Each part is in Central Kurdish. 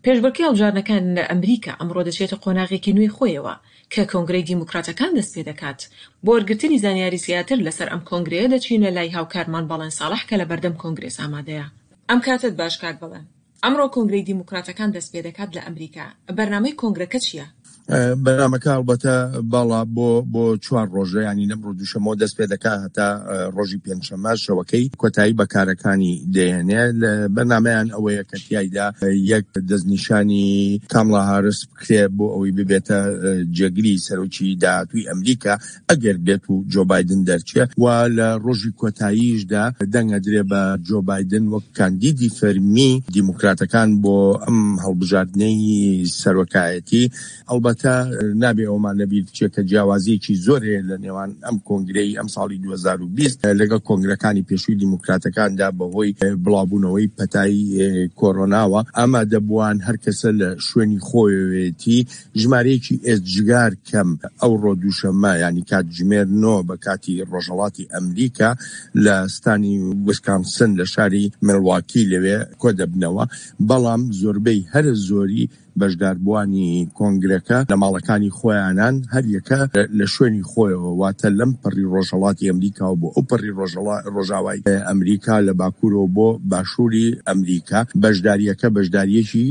پێشبڕکێی هەڵبژاردنەکان لە ئەمریکا ئەمڕۆ دەچێتە قۆناغێکی نوێی خۆیەوە کە کۆنگرەی دیموکراتەکان دەستپێدەکات. بۆ وەرگرتنی زانیاری زیاتر لەسەر ئەم کۆنگرەیە دەچینە لای هاوکارمان بەڵێن ساڵح کە لەبەردەم کۆنگرێس ئامادەیە. ئەم کاتەت باش کاک بەڵێن. ئەمڕۆ کۆنگرەی دیموکراتەکان دەستپێدەکات لە ئەمریکا. بەرنامەی کۆنگرەکە چییە؟ بەرنامەکە هەڵبەتە باڵا بۆ بۆ چوار ڕۆژە ینی لەم ڕۆ دووشەمەوە دەست پێ دەکا هەتا ڕۆژی پێنجشەممە شەوەکەی کۆتایی بە کارەکانی دێنێ لە بەرنامەیان ئەوەیە کە تیایدا یەک دەستنیشانی کامڵا هارس بکرێ بۆ ئەوەی ببێتە جێگری سەرۆکی داهاتووی ئەمریکا ئەگەر بێت و جۆ بایدن دەرچێ و لە ڕۆژی کۆتاییشدا دەنگ ئەدرێ بە جۆ بایدن وەک کاندیدی فەرمی دیموکراتەکان بۆ ئەم هەڵبژاردنەی سەرۆکایەتی. ئەڵبەتە نابێ ئەوەمان لەبیر بچێ کە جیاوازییەکی زۆر هەیە لە نێوان ئەم کۆنگرەی ئەمساڵی 2020 لەگەڵ کۆنگرەکانی پێشووی دیموکراتەکاندا بەهۆی بڵاوبوونەوەی پەتای کۆرۆناوە ئامادەبووان هەر کەسە لە شوێنی خۆیەوێتی ژمارەیەکی ئێجگار کەم ئەوڕۆ دووشەممە یانی کاتژمێر نۆ بە کاتی ڕۆژهەڵاتی ئەمریکا لە ستانی ویسکانسن لە شاری میلواکی لەوێ کۆدەبنەوە، بەڵام زۆربەی هەرە زۆری بەشداربووانی کۆنگرەکە لە ماڵەکانی خۆیانان هەریەکە لە شوێنی خۆیەوە واتە لەم پەڕی ڕۆژهەڵاتی ئەمریکاوە بۆ ئەو پەڕی ڕۆژاوای ئەمریکا لە باکوورەوە بۆ باشووری ئەمریکا بەشدارییەکە بەشدارییەکی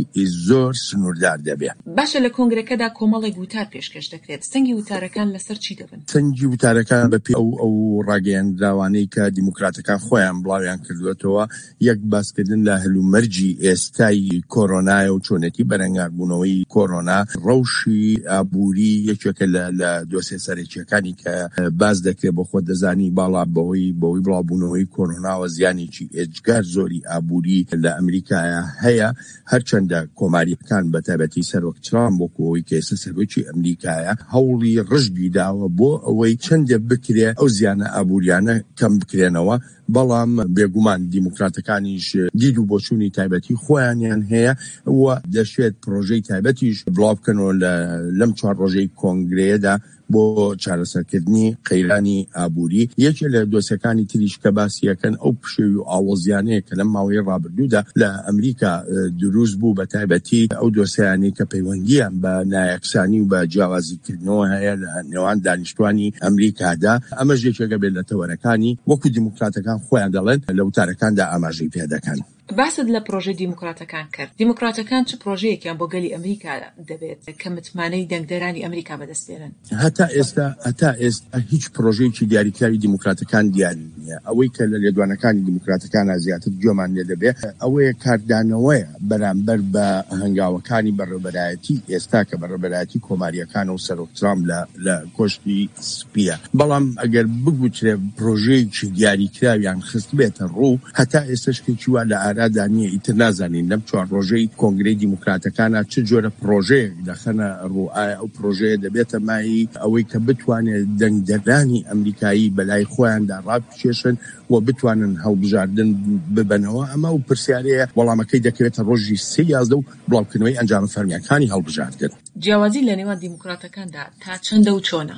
زۆر سنووردار دەبێ. باشە لە کۆنگرەکەدا کۆمەڵێک وتار پێشکەش دەکرێت، سەنگی وتارەکان لەسەر چی دەبن؟ سەنگی وتارەکان بە پێی ئەو ئەو ڕاگەیەندراوانەی کە دیموکراتەکان خۆیان بڵاویان کردووەتەوە، یەک باسکردن لە هەلومەرجی ئێستای کۆرۆنایە و چۆنێتی بەرەنگاربوونەوەی کۆرۆنا، ڕەوشی ئابووری یەکێکە لە لە دۆسیە سەرەکییەکانی کە باس دەکرێت، بۆ خۆت دەزانی باڵا بەهۆی بەهۆی بڵاوبوونەوەی کۆرۆناوە زیانێکی ئێجگار زۆری ئابووری لە ئەمریکایا هەیە. هەرچەندە کۆمارییەکان بە تایبەتی سەرۆک ترامپ وەکو ئەوەی کە ئێستا سەرۆکی ئەمریکایە هەوڵی ڕژدی داوە بۆ ئەوەی چەندێ بکرێ ئەو زیانە ئابووریانە کەم بکرێنەوە، بەڵام بێگومان دیموکراتەکانیش دید و بۆچوونی تایبەتی خۆیانیان هەیە و دەشێت پرۆژەی تایبەتیش بڵاو بکەنەوە لە لەم چوار ڕۆژەی کۆنگرەیەدا. بۆ چارەسەرکردنی قەیرانی ئابووری، یەکێ لە دۆسیەکانی تریش کە باسی ئەکەن ئەو پشێوی و ئاڵۆزیانەیە کە لەم ماوەی ڕابردوودا لە ئەمریکا دروست بوو، بە تایبەتی ئەو دۆسیانەی کە پەیوەندییان بە نایەکسانی و بە جیاوازیکردنەوە هەیە لە نێوان دانیشتوانی ئەمریکادا، ئەمەش یەکێکە بێت لە تەوەرەکانی وەکو دیموکراتەکان خۆیان دەڵێن لە وتارەکاندا ئاماژەی پێدەکەن. باست لە پرۆژەی دیموکراتەکان کرد، دیموکراتەکان چ پرۆژەیەکیان بۆ گەلی ئەمریکا دەبێت کە متمانەی دەنگدەرانی ئەمریکا بەدەست بێنن؟ هەتا ئێستا هەتا ئێستا هیچ پرۆژەیەکی دیاریکراوی دیموکراتەکان دیار نییە. ئەوەی کە لە لێدوانەکانی دیموکراتەکانا زیاتر گوێمان لێ دەبێ ئەوەیە کاردانەوەیە بەرامبەر بە هەنگاوەکانی بەڕێوەبەرایەتی ئێستا کە بەڕێوەبەرایەتی کۆمارییەکانە و سەرۆک ترامپ لە لە کۆشکی سپییە. بەڵام ئەگەر بگوترێ پرۆژەیەکی دیاریکراویان خستبێتە ڕوو، هەتا ئێستا شتێکی وا لە ئارادا نییە، ئیتر نازانین لەم چوار ڕۆژەی کۆنگرەی دیموکراتەکانا چ جۆرە پڕۆژەیەک دەخەنە ڕوو، ئایا ئەو پڕۆژەیە دەبێتە مایەی ئەوەی کە بتوانێت دەنگدەرانی ئەمریکایی بەلای خۆیاندا ڕابکێشن و بتوانن هەڵبژاردن ببەنەوە، ئەمە ئەو پرسیارەیە وەڵامەکەی دەکەوێتە ڕۆژی سێ 11 و بڵاوکردنەوەی ئەنجامە فەرمییەکانی هەڵبژاردن. جیاوازی لە نێوان دیموکراتەکاندا تا چەندە و چۆنە؟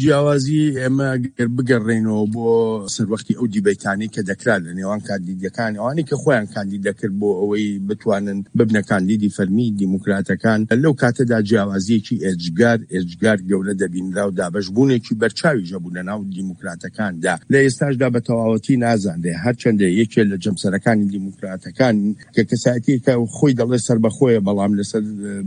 جیاوازی ئێمە گەر بگەڕێینەوە بۆ سەروەختی ئەو دیبەیتانەی کە دەکرا لە نێوان کاندیدەکان، ئەوانەی کە خۆیان کاندید دەکرد بۆ ئەوەی بتوانن ببنە کاندیدی فەرمی دیموکراتەکان، لەو کاتەدا جیاوازییەکی ئێجگار ئێجگار گەورە دەبینرا و دابەشبوونێکی بەرچاویش هەبوو لە ناو دیموکراتەکاندا. لە ئێستاشدا بە تەواوەتی نازانرێ، هەرچەندە یەکێ لە جەمسەرەکانی دیموکراتەکان کە کەسایەتییەکە خۆی دەڵێ سەربەخۆیە، بەڵام لەسەر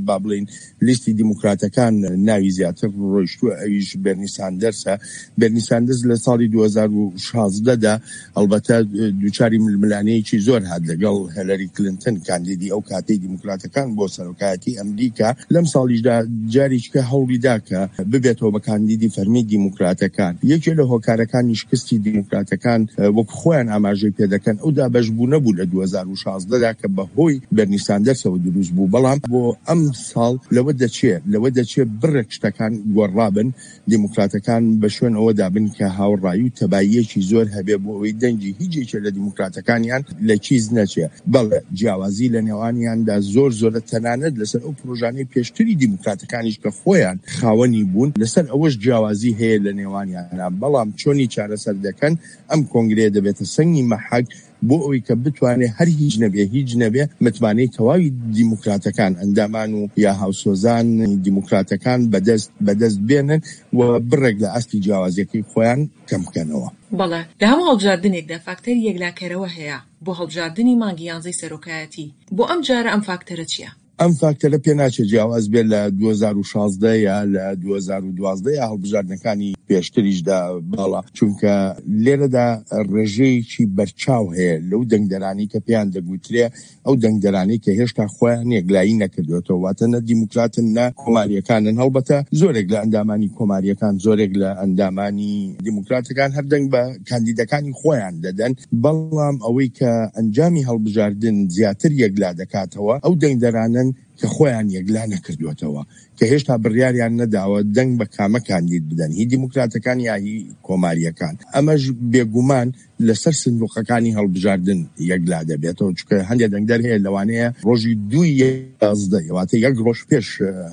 با بڵێین لیستی دیموکراتەکان ناوی زیاتر ڕۆیشتووە ئەویش بێرنی ساندەرسە. بێرنی ساندەرس لە ساڵی 2016 دا ئەڵبەتە دووچاری ململانێیەکی زۆر هات لەگەڵ هێلەری کلنتن کاندیدی ئەو کاتەی دیموکراتەکان بۆ سەرۆکایەتی ئەمریکا. لەم ساڵیشدا جارێکیکە هەوڵی دا کە ببێتەوە بە کاندیدی فەرمی دیموکراتەکان. یەکێ لە هۆکارەکانی شکستی دیموکراتەکان وەک خۆیان ئاماژەی پێدەکەن ئەو دابەشبوونە بوو لە 2016 دا کە بەهۆی بێرنی ساندەرسەوە دروست بوو، بەڵام بۆ ئەمساڵ لەوە دەچێ لەوە دەچێ بڕێک شتەکان گۆڕابن، دیموکراتەکان بە شوێن ئەوەدا بن کە هاوڕایی و تەباییەکی زۆر هەبێ بۆ ئەوەی دەنگی هیچ یەکێ لە دیموکراتەکانیان لە کیس نەچێ. بەڵێ جیاوازی لە نێوانیاندا زۆر زۆرە تەنانەت لەسەر ئەو پرۆژانەی پێشتری دیموکراتەکانیش کە خۆیان خاوەنی بوون لەسەر ئەوەش جیاوازی هەیە لە نێوانیانا، بەڵام چۆنی چارەسەر دەکەن ئەم کۆنگرەیە دەبێتە سەنگی مەحەک. بۆ ئەوەی کە بتوانێ هەر هیچ نەبێ هیچ نەبێ متمانەی تەواوی دیموکراتەکان، ئەندامان و یا هاوسۆزانی دیموکراتەکان بەدەست بەدەست بێنن و بڕێک لە ئاستی جیاوازیەکەی خۆیان کەم بکەنەوە. بەڵێ، لە هەموو هەڵبژاردنێکدا فاکتەری یەکلاکەرەوە هەیە بۆ هەڵبژاردنی مانگی یانزەی سەرۆکایەتی، بۆ ئەم جارە ئەم فاکتەرە چیە؟ ئەم فاکتەرە پێناچێت جیاواز بێت لە 2016 یا لە 2012 یا هەڵبژاردنەکانی پێشتریشدا بەڵا، چونکە لێرەدا ڕێژەیەکی بەرچاو هەیە لەو دەنگدەرانەی کە پێیان دەگوترێ ئەو دەنگدەرانەی کە هێشتا خۆیان یەکلایی نەکردوێتەوە، واتە نە دیموکراتن نە کۆمارییەکانن. هەڵبەتە زۆرێک لە ئەندامانی کۆمارییەکان، زۆرێک لە ئەندامانی دیموکراتەکان هەر دەنگ بە کاندیدەکانی خۆیان دەدەن، بەڵام ئەوەی کە ئەنجامی هەڵبژاردن زیاتر یەکلا دەکاتەوە ئەو دەنگدەرانەن کە خۆیان یەکلا نەکردووەتەوە، کە هێشتا بڕیاریان نەداوە دەنگ بە کامە کاندید بدەن، هی دیموکراتەکان یا هی کۆمارییەکان. ئەمەش بێگومان لەسەر سندوقەکانی هەڵبژاردن یەکلا دەبێتەوە، چونکە هەندێک دەنگدەر هەیە لەوانەیە ڕۆژی دووی 11، واتە یەک ڕۆژ پێش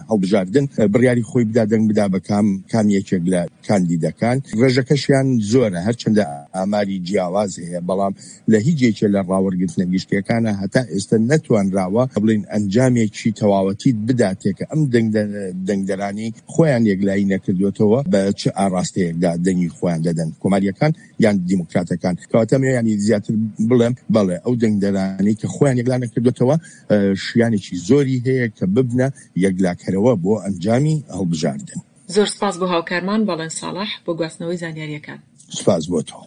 هەڵبژاردن بڕیاری خۆی بدا دەنگ بدا بە کام کام یەکێک لە کاندیدەکان، ڕێژەکەشیان زۆرە، هەرچەندە ئاماری جیاواز هەیە، بەڵام لە هیچ یەکێ لە ڕاوەرگرتنە گشتیەکانا هەتا ئێستە نەتوانراوە بڵێین ئەنجامێکی تەواوەتیت بداتێ کە ئەم دەنگدەرانەی خۆیان یەکلایی نەکردووەتەوە بە چ ئاڕاستەیەکدا دەنگی خۆیان دەدەن، کۆمارییەکان یان دیموکراتەکان. کەواتە ئەمەوێ یانی زیاتر بڵێم بەڵێ ئەو دەنگدەرانەی کە خۆیان یەکلا نەکردووەتەوە شیانێکی زۆری هەیە کە ببنە یەکلاکەرەوە بۆ ئەنجامی هەڵبژاردن. زۆر سپاس بۆ هاوکارمان بەڵێن ساڵح بۆ گواستنەوەی زانیارییەکان. سپاس بۆ تۆ.